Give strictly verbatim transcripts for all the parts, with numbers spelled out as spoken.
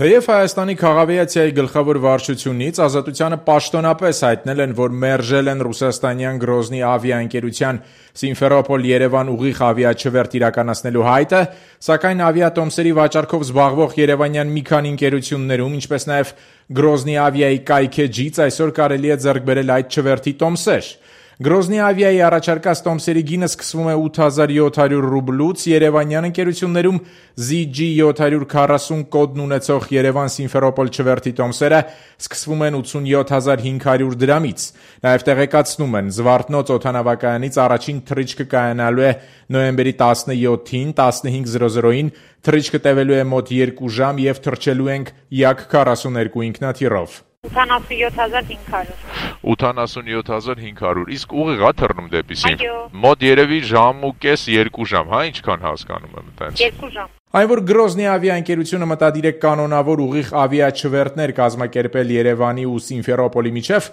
Թեև Հայաստանի քաղավիացիայի գլխավոր վարչությունից Ազատությանը պաշտոնապես հայտնել են, որ մերժել են ռուսաստանյան Գրոզնի ավիաընկերության Սիմֆերոպոլ-Երևան ուղիղ ավիաչվերթ իրականացնելու հայտը, սակայն ավիատոմսերի վաճառքով զբաղվող երևանյան մի քանի ընկերություններում, ինչպես նաև Գրոզնի ավիայի կայքեջից այսօր կարելի է ձեռք բերել այդ չվերթի տոմսեր։ Գրոզնի ավիայի առաջարկած տոմսերի գինը սկսվում է ութ հազար յոթ հարյուր ռուբլուց, երևանյան ընկերություններում զի ջի յոթ հարյուր քառասուն կոդն ունեցող Երևան Սիմֆերոպոլ չվերթի տոմսերը սկսվում են ութսունյոթ հազար հինգ հարյուր դրամից։ Նաև տեղեկացնում են, Զվարթնոց օդանավակայանից առաջին թռիչքը կայանալու է նոյեմբերի տասնյոթին տասնհինգ զրո զրոին, թռիչքը տևելու է մոտ երկու ժամ և թռչելու ենք Յակ քառասուններկու ինքնաթիռով։ ութանասունյոթ հազար հինգ հարյուր ութանասունյոթ հազար հինգ հարյուր Իսկ ուղիղ է թռնում դեպի Սիմ։ Այո։ Մոտ երևի ժամ ու կես երկու ժամ, հա, ինչքան հասկանում եմ այդպես։ Երկու ժամ։ Այն, որ Գրոզնի ավիաընկերությունը մտադիր է կանոնավոր ուղիղ ավիաչվերթներ կազմակերպել Երևանի ու Սիմֆերոպոլի միջև,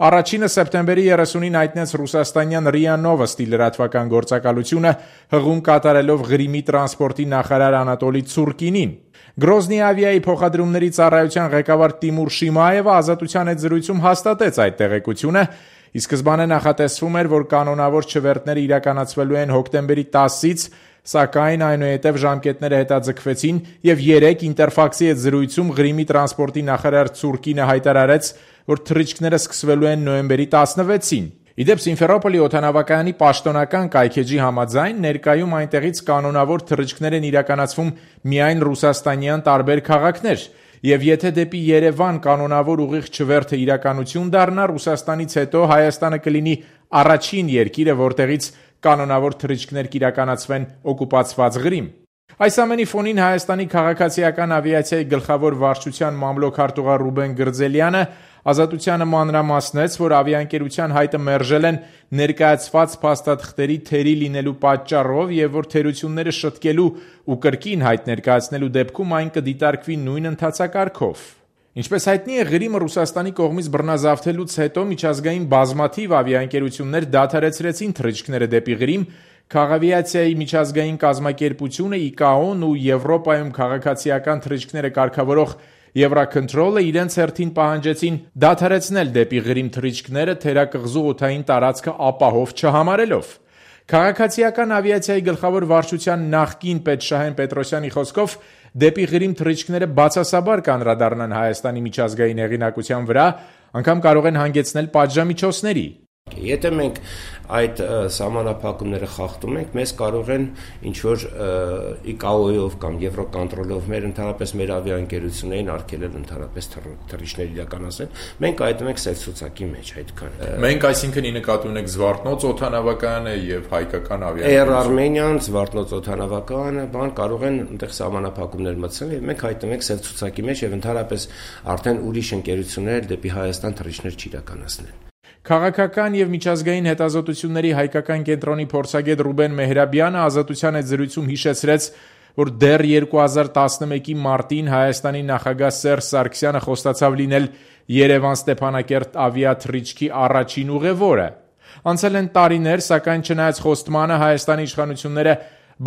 առաջինը սեպտեմբերի երեսունին հայտնեց ռուսաստանյան ՌԻԱ Նովոստի լրատվական գործակալությունը, հղում կատարելով Ղրիմի տրանսպորտի նախարար Անատոլի Ցուրկինին։ Գրոզնի ավիայի փոխադրումների ծառայության ղեկավար Տիմուր Շիմայևը Ազատության հետ զրույցում հաստատեց այդ տեղեկությունը, ի սկզբանե նախատեսվում էր, որ կանոնավոր չվերթները իրականացվելու են հոկտեմբերի տասից, սակայն այնուհետև ժամկետները հետաձգվեցին և երեկ Ինտերֆաքսի հետ զրույցում Ղրիմի տրանսպորտի նախարար Ցուրկինը հայտարարեց, որ թռիչքները սկսվելու են նոյեմբերի տասնվեցին։ Ի դեպ, Սիմֆերոպոլի օդանավակայանի պաշտոնական կայքեջի համաձայն, ներկայում այնտեղից կանոնավոր թռիչքներ են իրականացվում միայն ռուսաստանյան տարբեր քաղաքներ, և եթե դեպի Երևան կանոնավոր ուղիղ չվերթը իրականություն դառնա, Ռուսաստանից հետո Հայաստանը կլինի առաջին երկիրը, որտեղից կանոնավոր թռիչքներ կիրականացվեն օկուպացված Ղրիմ։ Այս ամենի ֆոնին Հայաստանի քաղաքացիական ավիացիայի գլխավոր վարչության մամլոք-արտուղար Ռուբեն Գրձելյանը Ազատությանը մանրամասնեց, որ ավիաընկերության հայտը մերժել են ներկայացված փաստաթղթերի թերի լինելու պատճառով և որ թերությունները շտկելու ու կրկին հայտ ներկայացնելու դեպքում այն կդիտարկվի նույն ընթացակարգով։ Ինչպես հայտնի է, Ղրիմը Ռուսաստանի կողմից բռնազավթելուց հետո միջազգային բազմաթիվ ավիաընկերություններ դադարեցրեցին թռիչքները դեպի Ղրիմ, Քաղավիացիայի միջազգային կազմակերպությունը ի կա օ-ն ու Եվրոպայում քաղաքացիական թռիչքները կարգավորող Եվրաքընթրոլը իրենց հերթին պահանջեցին դադարեցնել դեպի Ղրիմ թռիչքները թերակղզու օդային տարածքը ապահով չհամարելով։ Քաղաքացիական ավիացիայի գլխավոր վարչության նախկին պետ Շահեն Պետրոսյանի խոսքով դեպի Ղրիմ թռիչքները բացասաբար կանդրադառնան Հայաստանի միջազգային հեղինակության վրա, անգամ կարող են հանգեցնել պատժամիջոցների։ Եթե մենք այդ սահմանափակումները խախտում ենք, մեզ կարող են ինչ-որ ի կա օ-ով կամ Եվրոկոնտրոլով մեր ընդհանրապես մեր ավիաընկերություններին արգելել ընդհանրապես թռիչքներ իրականացնել, մենք այդում ենք սև ցուցակի մեջ այդքան։ Մենք այսինքն ի նկատի ունենք Զվարթնոց օդանավակայանը եւ հայկական ավիաընկերությունը։ Air Armenian, Զվարթնոց օդանավակայանը, բան կարող են այնտեղ սահմանափակումներ մտցնել եւ մենք հայտնում ենք սև ցուցակի մեջ եւ ընդհանրապես արդեն ուրիշ ընկերություններ դեպի Հայաստան թռիչքներ չիրականացնել։ Քաղաքական և միջազգային հետազոտությունների հայկական կենտրոնի փորձագետ Ռուբեն Մեհրաբյանը Ազատության հետ զրույցում հիշեցրեց, որ դեռ երկու հազար տասնմեկի մարտին Հայաստանի նախագահ Սերժ Սարգսյանը խոստացավ լինել Երևան-Ստեփանակերտ ավիաթռիչքի առաջին ուղևորը։ Անցել են տարիներ, սակայն չնայած խոստմանը Հայաստանի իշխանությունները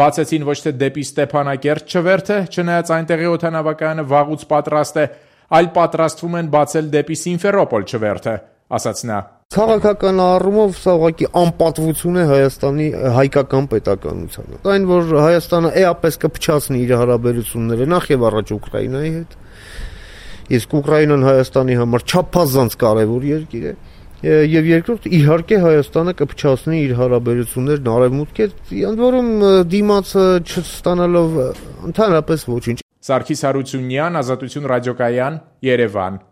բացեցին ոչ թե դեպի Ստեփանակերտ չվերթը, չնայած այնտեղի օդանավակայանը վաղուց պատրաստ է, այլ պատրաստվում են բացել դեպի Սիմֆերոպոլ չվերթը, ասաց նա։ Քաղաքական առումով սա ուղղակի անպատվություն է Հայաստանի հայկական պետականությանը։ Այն, որ Հայաստանը էապես կփչացնի իր հարաբերությունները նախ եւ առաջ Ուկրաինայի հետ, իսկ Ուկրաինան Հայաստանի համար չափազանց կարևոր երկիր է, եւ երկրորդ իհարկե Հայաստանը կփչացնի իր հարաբերություններն արևմուտքի հետ, ընդ որում դիմացը չստանալով ընդհանրապես ոչինչ։ Սարգիս Հարությունյան, Ազատություն ռադիոկայան, Երևան։